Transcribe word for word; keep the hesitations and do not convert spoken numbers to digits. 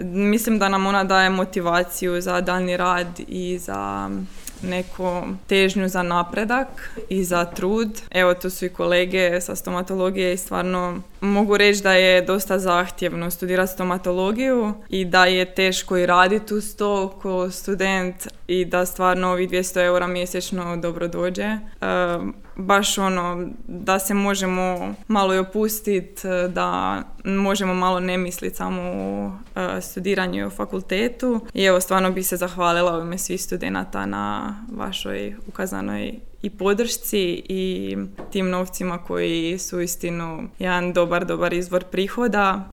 Mislim da nam ona daje motivaciju za daljnji rad i za neku težnju za napredak i za trud. Evo, tu su i kolege sa stomatologije i stvarno mogu reći da je dosta zahtjevno studirati stomatologiju i da je teško i raditi uz to ko student i da stvarno ovih dvjesto eura mjesečno dobro dođe. E, baš ono, da se možemo malo i opustiti, da možemo malo ne misliti samo o e, studiranju i o fakultetu. I evo, stvarno bih se zahvalila u ime svih studenata na vašoj ukazanoj i podršci i tim novcima koji su istinu jedan dobar, dobar izvor prihoda.